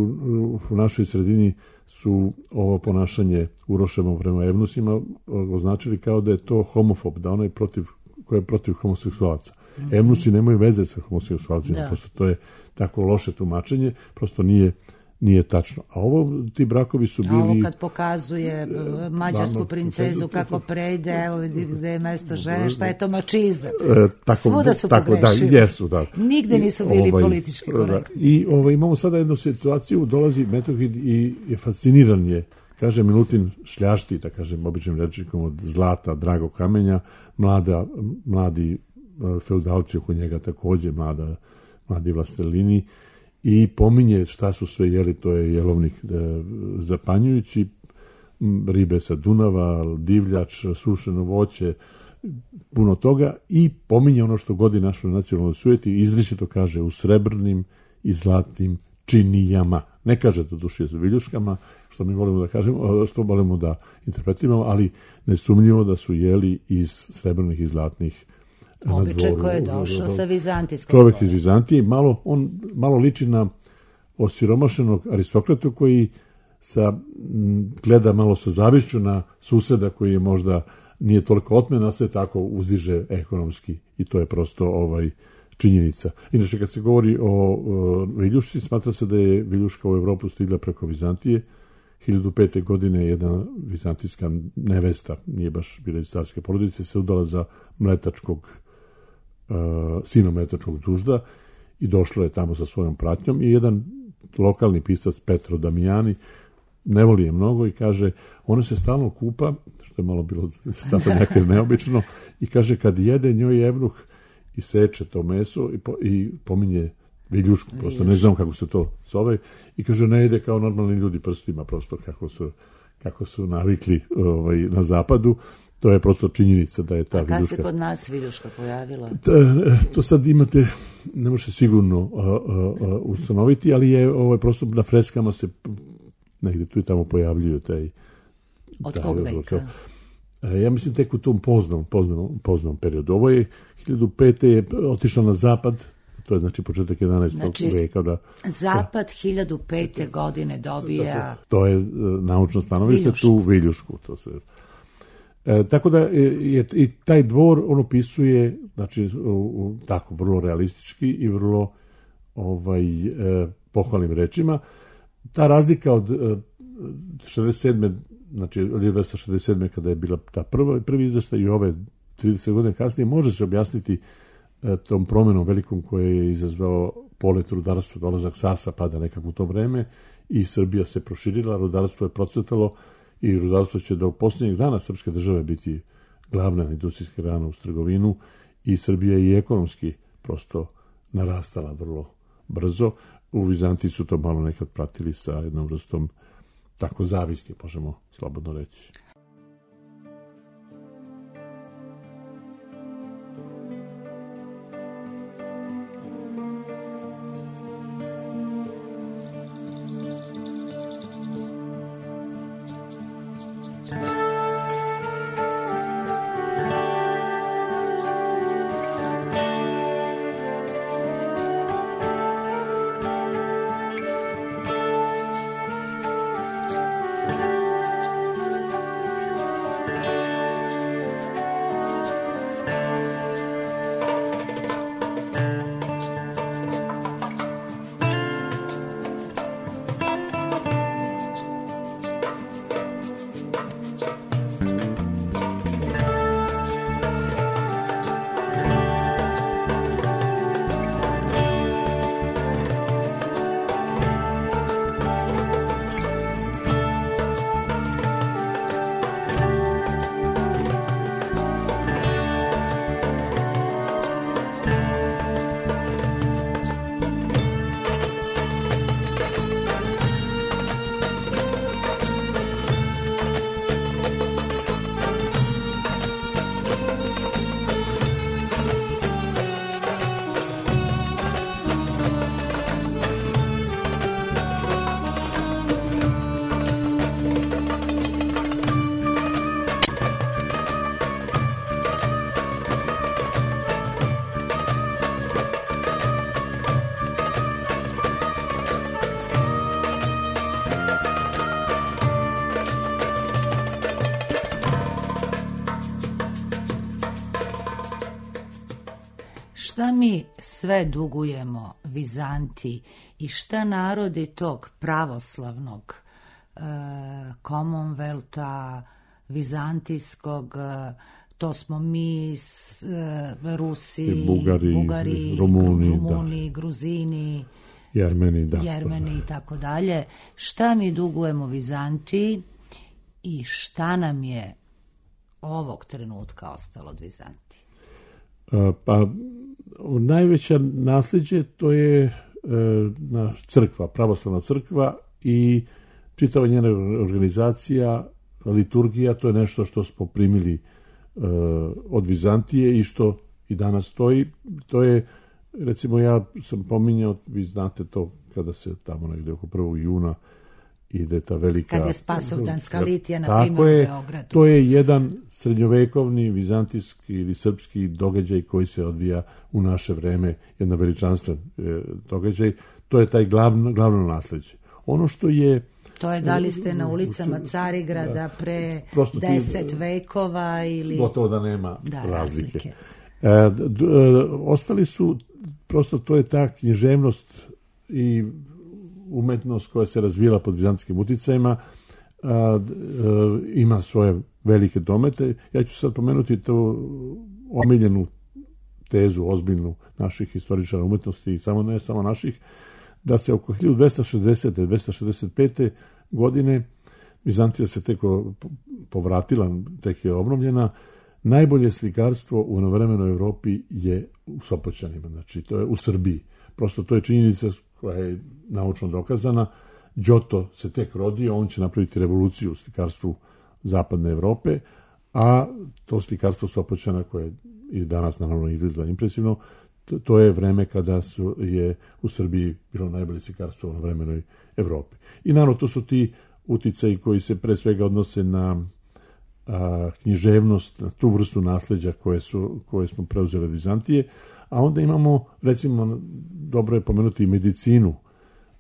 u našoj sredini su ovo ponašanje Uroševo prema Evnusima označili kao da je to homofob, da onaj protiv, koji je protiv homoseksualaca. Mm-hmm. Evnusi nemaju veze sa homoseksualcima, da. Prosto to je tako loše tumačenje, prosto nije nije tačno. A ovo, ti brakovi su bili... A ovo kad pokazuje mađarsku princezu kako prejde, evo vidi gde je mesto žene, šta je to mačizam? E, tako, Svuda su tako, pogrešili. Da, jesu, da. Nigde nisu bili ovaj, politički korektni. Da. I ovaj, imamo sada jednu situaciju, dolazi Metohid i je fasciniran je, kaže Milutin, šljašti, da kažem, običnim rečnikom, od zlata, dragog kamenja, mlada, mladi feudalci oko njega takođe, mlada, mladi vlastelini, i pominje šta su sve jeli, to je jelovnik e, zapanjujući, ribe sa Dunava, divljač, sušeno voće, puno toga, i pominje ono što godi našoj nacionalnoj sujeti, izričito kaže u srebrnim i zlatnim činijama. Ne kaže da duši za viljuškama, što mi volimo da kažemo, što volimo da interpretiramo, ali nesumnjivo da su jeli iz srebrnih i zlatnih. Običaj koji je došao sa vizantijskog. Čovjek iz Vizantije, malo, on malo liči na osiromašenog aristokratu koji sa, gleda malo sa zavišću na suseda koji je možda nije toliko otmen, a se tako uzdiže ekonomski, i to je prosto ovaj činjenica. Inače, kad se govori o, o viljušci, smatra se da je viljuška u Evropu stigla preko Vizantije. hiljadu pete. godine jedna vizantijska nevesta, nije baš bila iz carske porodice, se udala za mletačkog Uh, sina mletačkog dužda i došlo je tamo sa svojom pratnjom, i jedan lokalni pisac Petro Damijani ne voli je mnogo i kaže, ona se stalno kupa, što je malo bilo zato nekaj neobično, i kaže kad jede njoj Evnuh i seče to meso i, po, i pominje viljušku, prosto ne znam kako se to zove, i kaže ne jede kao normalni ljudi prstima, prosto kako su, kako su navikli ovaj, na zapadu. To je prosto činjenica da je ta viljuška. A kad se kod nas viljuška pojavila? To, to sad imate, ne može sigurno uh, uh, ustanoviti, ali je ovaj, prosto na freskama se negde tu i tamo pojavljuju taj... Od taj, kog veka? Ja mislim tek u tom poznom, poznom, poznom periodu. Ovo je hiljadu pete. je otišla na zapad, to je znači početak jedanaestog Znači, veka. Da, zapad da, hiljadu pete. godine dobija... To, to je uh, naučno stanovište, tu viljušku, to se... E, tako da je i taj dvor on opisuje, znači u, u, tako vrlo realistički i vrlo ovaj e, pohvalnim rečima. Ta razlika od e, šezdeset sedme. znači od hiljadu devetsto šezdeset sedme. kada je bila ta prva prvi izveštaj i ove trideset godina kasnije, može se objasniti e, tom promenom velikom koje je izazvao polet rudarstva, dolazak Sasa pada nekako u to vreme i Srbija se proširila, rudarstvo je procvetalo, i rudarstvo će do posljednjeg dana srpske države biti glavna industrijska grana uz trgovinu i Srbija je i ekonomski prosto narastala vrlo brzo. U Vizantiji su to malo nekad pratili sa jednom vrstom tako zavisti, možemo slobodno reći. Šta mi sve dugujemo Vizantiji i šta narodi tog pravoslavnog e, Commonwealtha, vizantijskog, e, to smo mi, s, e, Rusi, I Bugari, Bugari Rumuni, Rumuni da. Gruzini, Jermeni, da. Jermeni i tako dalje. Šta mi dugujemo Vizantiji i šta nam je ovog trenutka ostalo od Vizantije? Pa najveća nasljeđe to je e, na crkva, pravoslavna crkva i čitava njena organizacija, liturgija, to je nešto što smo primili e, od Vizantije i što i danas stoji. To je, recimo ja sam pominjao, vi znate to kada se tamo negdje oko prvog juna ide ta velika... Kad je Spasovdanska litija, na primjer, u Beogradu. To je jedan srednjovekovni, vizantijski ili srpski događaj koji se odvija u naše vreme, jedna veličanstven e, događaj. To je taj glavno, glavno nasljeđe. Ono što je... To je da li ste na ulicama Carigrada da, pre deset ti, vekova ili... Gotovo da nema da, razlike. razlike. E, d, d, ostali su, prosto to je ta književnost i umetnost koja se razvila pod vizantijskim uticajima, a, a, ima svoje velike domete. Ja ću sad pomenuti tu omiljenu tezu, ozbiljnu naših historičara umetnosti i samo ne samo naših, da se oko hiljadu dvesta šezdesete do dvesta šezdeset pete godine Vizantija se tek povratila, tek je obnovljena. Najbolje slikarstvo u novovremenoj Evropi je u Sopoćanima, znači to je u Srbiji. Prosto to je činjenica koja je naučno dokazana. Giotto se tek rodio, on će napraviti revoluciju u slikarstvu zapadne Evrope, a to slikarstvo Sopoćana koje i danas naravno izgleda impresivno, to, to je vreme kada su, je u Srbiji bilo najbolje slikarstvo u novovremenoj Evropi. I naravno to su ti uticaji koji se pre svega odnose na a, književnost, na tu vrstu nasljeđa koje, su, koje smo preuzeli od Vizantije, a onda imamo, recimo, dobro je pomenuti i medicinu.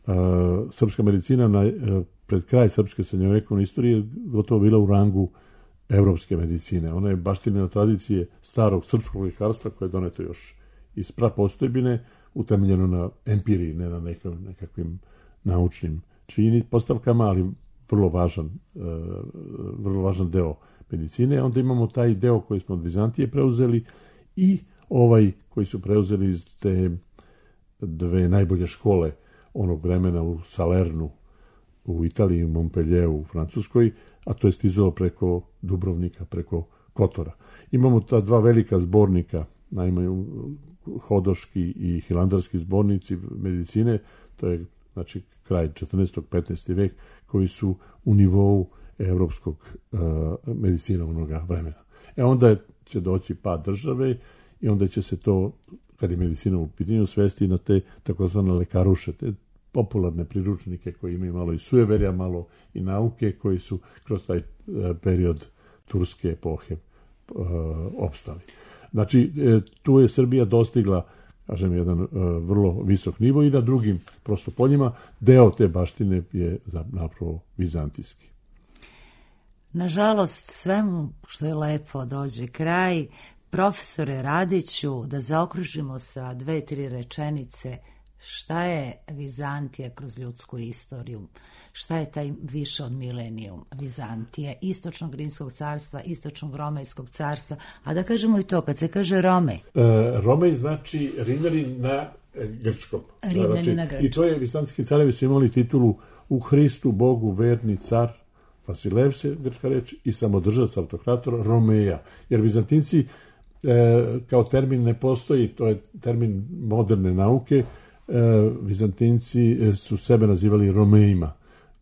A, srpska medicina na, a, pred kraj srpske srednjovekovne istorije gotovo bila u rangu evropske medicine. Ona je baštinjena tradicije starog srpskog ljekarstva koje je doneto još iz prapostojbine, utemeljeno na empiriji, ne na nekim, nekakvim naučnim čini, postavkama, ali vrlo važan, uh, vrlo važan deo medicine. Onda imamo taj deo koji smo od Vizantije preuzeli i ovaj koji su preuzeli iz te dve najbolje škole onog vremena u Salernu u Italiji, u Montpellieru u Francuskoj, a to je stizalo preko Dubrovnika, preko Kotora. Imamo ta dva velika zbornika, naime Hodoški i Hilandarski zbornici medicine, to je znači kraj četrnaestog petnaestog vek, koji su u nivou evropskog uh, medicina onoga vremena. E onda će doći pad države i onda će se to, kad je medicina u pitanju, svesti na te takozvane lekaruše, te popularne priručnike koji imaju malo i sujeverja, malo i nauke, koji su kroz taj uh, period turske epohe uh, opstali. Znači, e, tu je Srbija dostigla, kažem, jedan e, vrlo visok nivo i na drugim prosto poljima deo te baštine je napravo vizantijski. Nažalost, svemu što je lepo dođe kraj. Profesore Radiću, da zaokružimo sa dve, tri rečenice, šta je Vizantija kroz ljudsku istoriju? Šta je taj više od milenijum Vizantije, istočnog Rimskog carstva, istočnog Romejskog carstva, a da kažemo i to, kad se kaže Romej. E, Romej znači Rimljani na grčkom. Rimljani znači, na grčkom. I to je, vizantijski carevi su imali titulu u Hristu, Bogu, verni car, Vasilev se grčka reč, i samodržac, autokrator, Romeja. Jer Vizantinci e, kao termin ne postoji, to je termin moderne nauke, e, Vizantinci su sebe nazivali Romejima,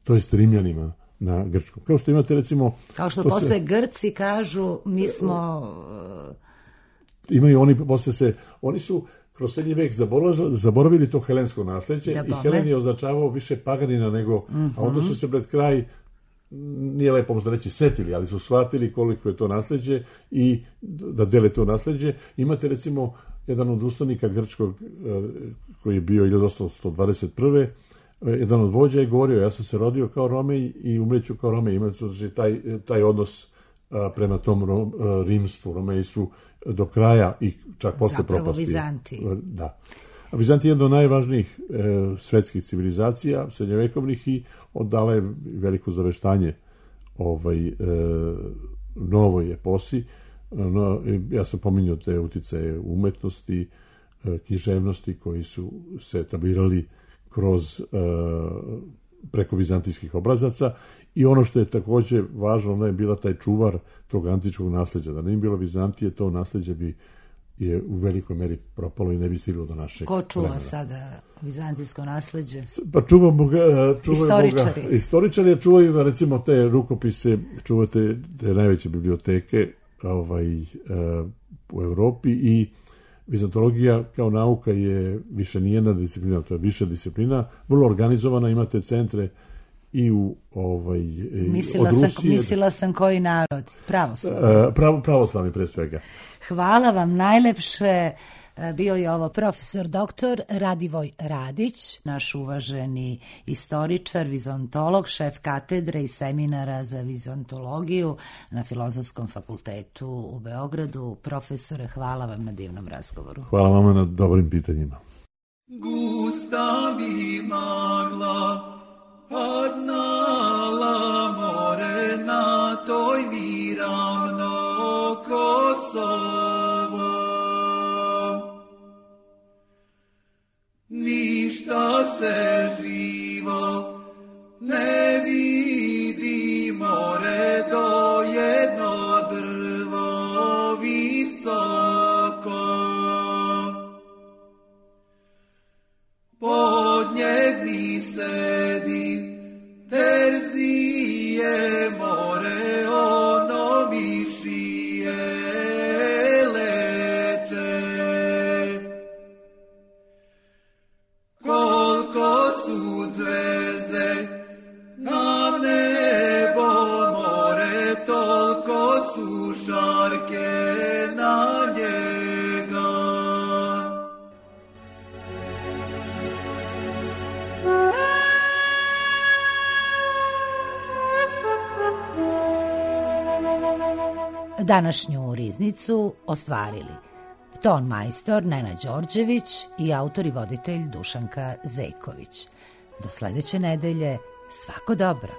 to jest Rimljanima na grčkom. Kao što imate recimo... Kao što posle se, Grci kažu, mi smo... Imaju oni, posle se, oni su kroz srednji vek zaboravili, zaboravili to helensko nasleđe i Helen je označavao više paganina nego... Mm-hmm. A onda su se pred kraj, nije lepo možda reći setili, ali su shvatili koliko je to nasleđe i da dele to nasleđe. Imate recimo jedan od ustanika grčkog koji je bio hiljadu osamsto dvadeset prve jedan od vođa je govorio, ja sam se rodio kao Romej i umreću kao Romej. Imate taj, taj odnos a, prema tom rom, a, rimstvu, romejstvu do kraja i čak posle propasti. Zapravo Vizantiji. Da. A Vizantija je jedna od najvažnijih e, svetskih civilizacija, srednjevekovnih, i oddala je veliko zaveštanje ovaj, e, novoj eposi. No, ja sam pominjao te uticaje umetnosti, e, književnosti koji su se etablirali kroz e, preko vizantijskih obrazaca, i ono što je takođe važno, ona je bila taj čuvar tog antičkog nasleđa. Da nije bilo Vizantije, to nasleđe bi je u velikoj meri propalo i ne bi stiglo do našeg. Ko čuva vremena. Sada vizantijsko nasleđe? Pa čuvamo ga, čuvamo istoričari. Ga. Istoričari čuvaju, recimo, te rukopise, čuvate te najveće biblioteke ovaj, u Evropi, i vizantologija kao nauka je više nijedna disciplina, to je više disciplina, vrlo organizovana, imate centre i u ovaj mislila od Rusije. Sam, mislila sam koji narod? Pravoslavni. Pravo, pravoslavni pre svega. Hvala vam najlepše. Bio je ovo profesor doktor Radivoj Radić, naš uvaženi istoričar, vizontolog, šef katedre i seminara za vizontologiju na Filozofskom fakultetu u Beogradu. Profesore, hvala vam na divnom razgovoru. Hvala vama na dobrim pitanjima. Gusta bi magla padnala more na toj mi ravno Kosovo. Ništa se živo ne vidi, more do jedno drvo visoko. Pod njeg mi sedi Terzije, more ono mi šije leče. Koliko su zvezde na nebo, more, toliko su šarke na njega. Današnju riznicu ostvarili ton majstor Nena Đorđević i autor i voditelj Dušanka Zejković. Do sledeće nedelje, svako dobro.